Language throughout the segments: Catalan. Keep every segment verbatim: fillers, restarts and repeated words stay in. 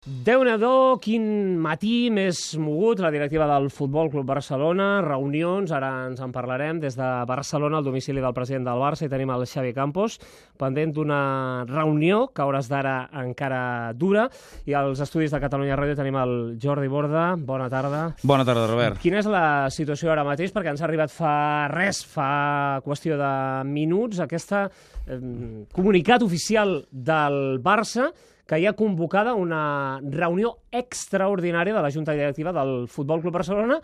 Déu-n'hi-do, quin matí més mogut, la directiva del Futbol Club Barcelona, reunions, ara ens en parlarem, des de Barcelona, al domicili del president del Barça, i tenim el Xavi Campos, pendent d'una reunió que a hores d'ara encara dura, i als estudis de Catalunya Ràdio tenim el Jordi Borda. Bona tarda. Bona tarda, Robert. Quina és la situació ara mateix? Perquè ens ha arribat fa res, fa qüestió de minuts, aquesta eh, comunicat oficial del Barça, que hi ha convocada una reunió extraordinària de la Junta Directiva del Futbol Club Barcelona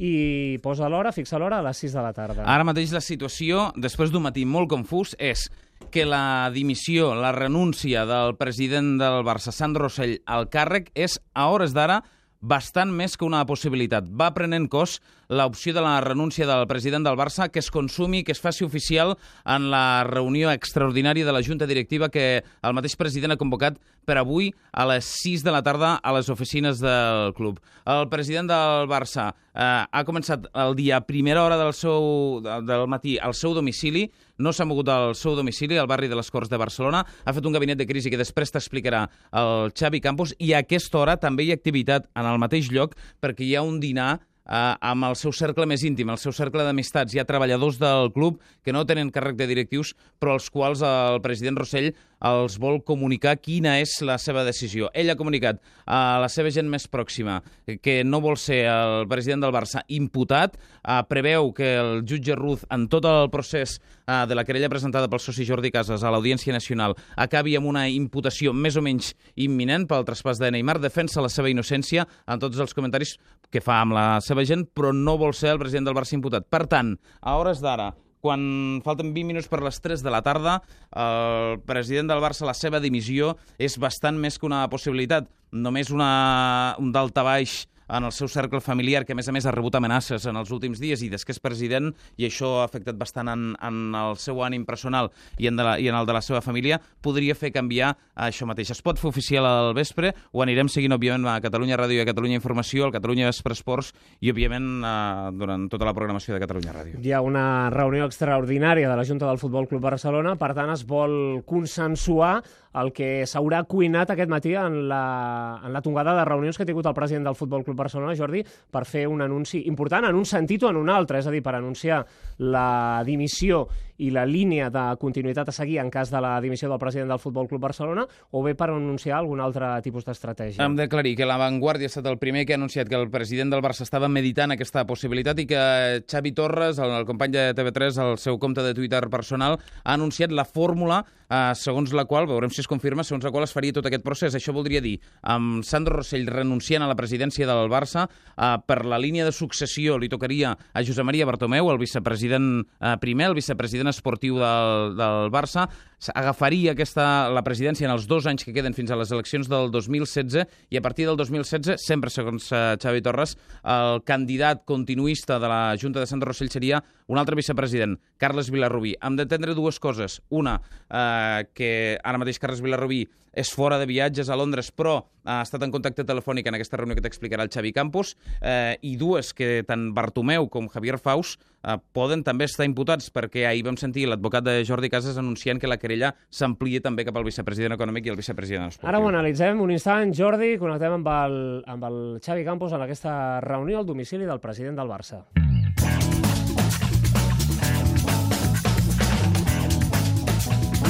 i posa l'hora, fixa l'hora, a les sis de la tarda. Ara mateix la situació, després d'un matí molt confús, és que la dimissió, la renúncia del president del Barça, Sandro Rosell, al càrrec és, a hores d'ara, bastant més que una possibilitat. Va prenent cos l'opció de la renúncia del president del Barça, que es consumi, que es faci oficial en la reunió extraordinària de la Junta Directiva que el mateix president ha convocat per avui a les sis de la tarda a les oficines del club. El president del Barça eh, ha començat el dia a primera hora del, seu, del matí al seu domicili, no s'ha mogut al seu domicili, al barri de les Corts de Barcelona, ha fet un gabinet de crisi que després t'explicarà el Xavi Campos, i a aquesta hora també hi ha activitat en el mateix lloc perquè hi ha un dinar Uh, amb el seu cercle més íntim, el seu cercle d'amistats. Hi ha treballadors del club que no tenen càrrec de directius, però als quals el president Rosell els vol comunicar quina és la seva decisió. Ell ha comunicat a la seva gent més pròxima que no vol ser el president del Barça imputat, uh, preveu que el jutge Ruz, en tot el procés uh, de la querella presentada pel soci Jordi Casas a l'Audiència Nacional, acabi amb una imputació més o menys imminent pel traspàs de Neymar, defensa la seva innocència en tots els comentaris que fa amb la seva gent, però no vol ser el president del Barça imputat. Per tant, a hores d'ara, quan falten vint minuts per les tres de la tarda, el president del Barça, la seva dimissió, és bastant més que una possibilitat. Només una, un daltabaix en el seu cercle familiar, que a més a més ha rebut amenaces en els últims dies i des que és president, i això ha afectat bastant en, en el seu ànim personal i en, de la, i en el de la seva família, podria fer canviar això mateix. Es pot fer oficial al vespre, ho anirem seguint, òbviament, a Catalunya Ràdio i a Catalunya Informació, al Catalunya Vespre Esports i, òbviament, eh, durant tota la programació de Catalunya Ràdio. Hi ha una reunió extraordinària de la Junta del Futbol Club Barcelona, per tant, es vol consensuar el que s'haurà cuinat aquest matí en la, en la tongada de reunions que ha tingut el president del Futbol Club Barcelona, Jordi, per fer un anunci important en un sentit o en un altre, és a dir, per anunciar la dimissió i la línia de continuïtat a seguir en cas de la dimissió del president del Futbol Club Barcelona, o bé per anunciar algun altre tipus d'estratègia. Hem d'aclarir que La Vanguardia ha estat el primer que ha anunciat que el president del Barça estava meditant aquesta possibilitat i que Xavi Torres, el, el company de T V tres, al seu compte de Twitter personal, ha anunciat la fórmula eh, segons la qual, veurem si es confirma, segons la qual es faria tot aquest procés. Això voldria dir, amb Sandro Rosell renunciant a la presidència del Barça, eh, per la línia de successió li tocaria a Josep Maria Bartomeu, el vicepresident eh, primer, el vicepresident esportiu del, del Barça, agafaria aquesta, la presidència en els dos anys que queden fins a les eleccions del dos mil setze, i a partir del dos mil setze, sempre segons uh, Xavi Torres, el candidat continuista de la Junta de Sandro Rosell seria un altre vicepresident, Carles Vilarrubí. Hem d'entendre dues coses. Una, eh, que ara mateix Carles Vilarrubí és fora de viatges a Londres, però ha estat en contacte telefònic en aquesta reunió que t'explicarà el Xavi Campos, eh, i dues, que tant Bartomeu com Javier Faus eh, poden també estar imputats, perquè ahir vam sentir l'advocat de Jordi Casas anunciant que la querella s'amplia també cap al vicepresident econòmic i el vicepresident esportiu. Ara ho analitzem un instant, Jordi, connectem amb el, amb el Xavi Campos en aquesta reunió al domicili del president del Barça.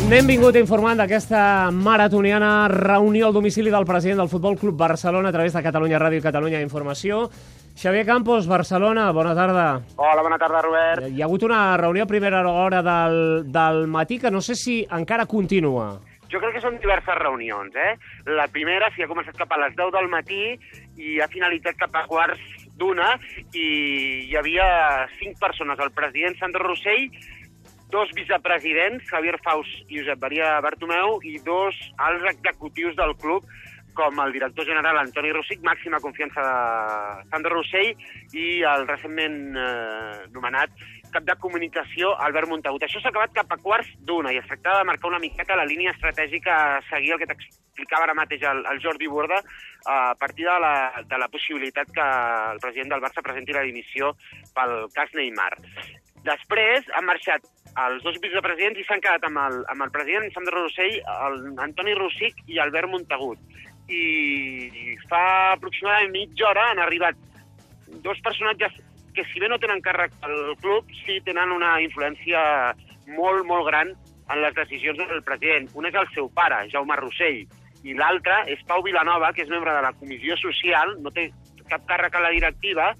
N'hem vingut informant d'aquesta maratoniana reunió al domicili del president del Futbol Club Barcelona a través de Catalunya Ràdio i Catalunya Informació. Xavier Campos, Barcelona, bona tarda. Hola, bona tarda, Robert. Hi ha hagut una reunió a primera hora del, del matí que no sé si encara continua. Jo crec que són diverses reunions, eh? La primera sí ha començat cap a les deu del matí i ha finalitzat cap a quarts d'una, i hi havia cinc persones, el president Sandro Rosell, dos vicepresidents, Javier Faus i Josep Maria Bartomeu, i dos alts executius del club, com el director general Antoni Rosic, màxima confiança de Sandro Rosell, i el recentment eh, nomenat cap de comunicació, Albert Montagut. Això s'ha acabat cap a quarts d'una i es tractava de marcar una miqueta la línia estratègica a seguir, el que t'explicava ara mateix el, el Jordi Borda, a partir de la, de la possibilitat que el president del Barça presenti la dimissió pel cas Neymar. Després han marxat els dos vicepresidents i s'han quedat amb el, amb el president Sandro Rosell, el Antoni Rosic i Albert Montagut. i fa aproximadament mitja hora han arribat dos personatges que, si bé no tenen càrrec al club, sí tenen una influència molt, molt gran en les decisions del president. Un és el seu pare, Jaume Rossell, i l'altre és Pau Vilanova, que és membre de la Comissió Social, no té cap càrrec a la directiva,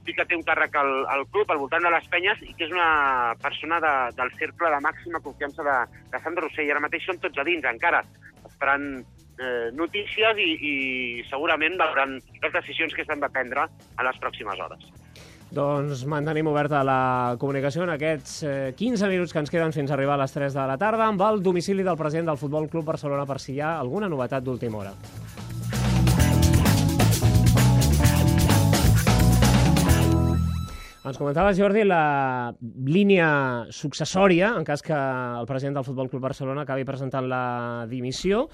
sí que té un càrrec al, al club, al voltant de les penyes, i que és una persona de, del cercle de màxima confiança de, de Sandro Rossell. I ara mateix són tots a dins, encara, esperant eh, notícies i, i segurament veuran les decisions que s'han de prendre a les pròximes hores. Doncs mantenim oberta la comunicació en aquests eh, quinze minuts que ens queden fins a arribar a les tres de la tarda amb el domicili del president del Futbol Club Barcelona per si hi ha alguna novetat d'última hora. Ens comentava, Jordi, la línia successòria, en cas que el president del Futbol Club Barcelona acabi presentant la dimissió.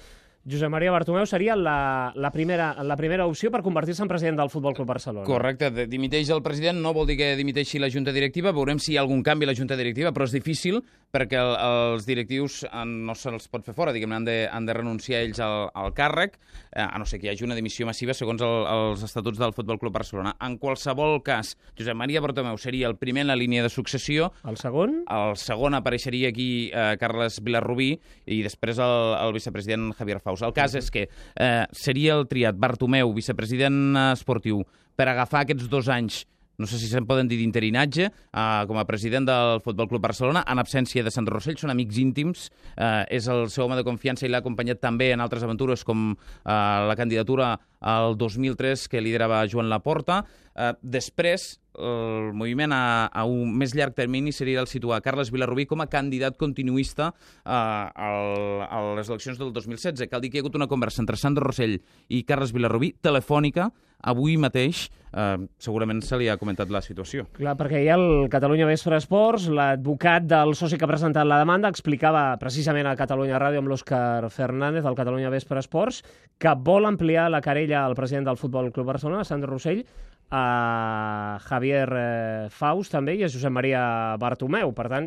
Josep Maria Bartomeu seria la, la, primera, la primera opció per convertir-se en president del Futbol Club Barcelona. Correcte, dimiteix el president, no vol dir que dimiteixi la Junta Directiva, veurem si hi ha algun canvi a la Junta Directiva, però és difícil perquè el, els directius no se'ls pot fer fora, diguem-ne, han, de, han de renunciar ells al, al càrrec, eh, a no ser que hi hagi una dimissió massiva segons el, els estatuts del Futbol Club Barcelona. En qualsevol cas, Josep Maria Bartomeu seria el primer en la línia de successió. El segon? El segon apareixeria aquí eh, Carles Vilarrubí i després el, el vicepresident Javier Faus. El cas és que eh, seria el triat Bartomeu, vicepresident esportiu, per agafar aquests dos anys, no sé si se'n poden dir d'interinatge, eh, com a president del Futbol Club Barcelona, en absència de Sandro Rossell, són amics íntims, eh, és el seu home de confiança i l'ha acompanyat també en altres aventures com eh, la candidatura al dos mil tres que liderava Joan Laporta. Eh, després, el moviment a, a un més llarg termini seria el situar Carles Vilarrubí com a candidat continuista eh, al, a les eleccions del dos mil setze. Cal dir que hi ha hagut una conversa entre Sandro Rossell i Carles Vilarrubí, telefònica, avui mateix, eh, segurament se li ha comentat la situació. Clar, perquè hi ha el Catalunya Vespre Esports, l'advocat del soci que ha presentat la demanda explicava precisament a Catalunya Ràdio amb l'Òscar Fernández, del Catalunya Vespre Esports, que vol ampliar la querella al president del Futbol Club Barcelona, Sandro Rossell, a Javier eh, Faus també i a Josep Maria Bartomeu. Per tant,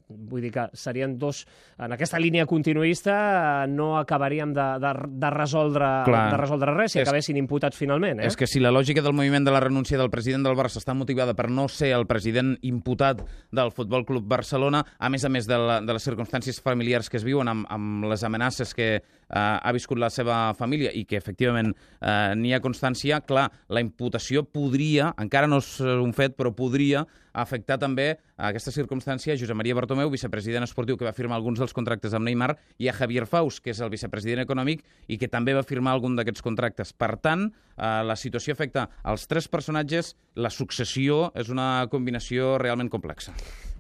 vull dir que serien dos... En aquesta línia continuista no acabaríem de, de, de, resoldre, de resoldre res si és, acabessin imputats finalment. Eh? És que si la lògica del moviment de la renúncia del president del Barça està motivada per no ser el president imputat del Futbol Club Barcelona, a més a més de, la, de les circumstàncies familiars que es viuen amb, amb les amenaces que eh, ha viscut la seva família i que efectivament eh, n'hi ha constància, clar, la imputació podria, encara no és un fet, però podria afectar també a aquesta circumstància a Josep Maria Bartomeu, vicepresident esportiu que va firmar alguns dels contractes amb Neymar, i a Javier Faus, que és el vicepresident econòmic i que també va firmar algun d'aquests contractes. Per tant, eh, la situació afecta als tres personatges, la successió és una combinació realment complexa.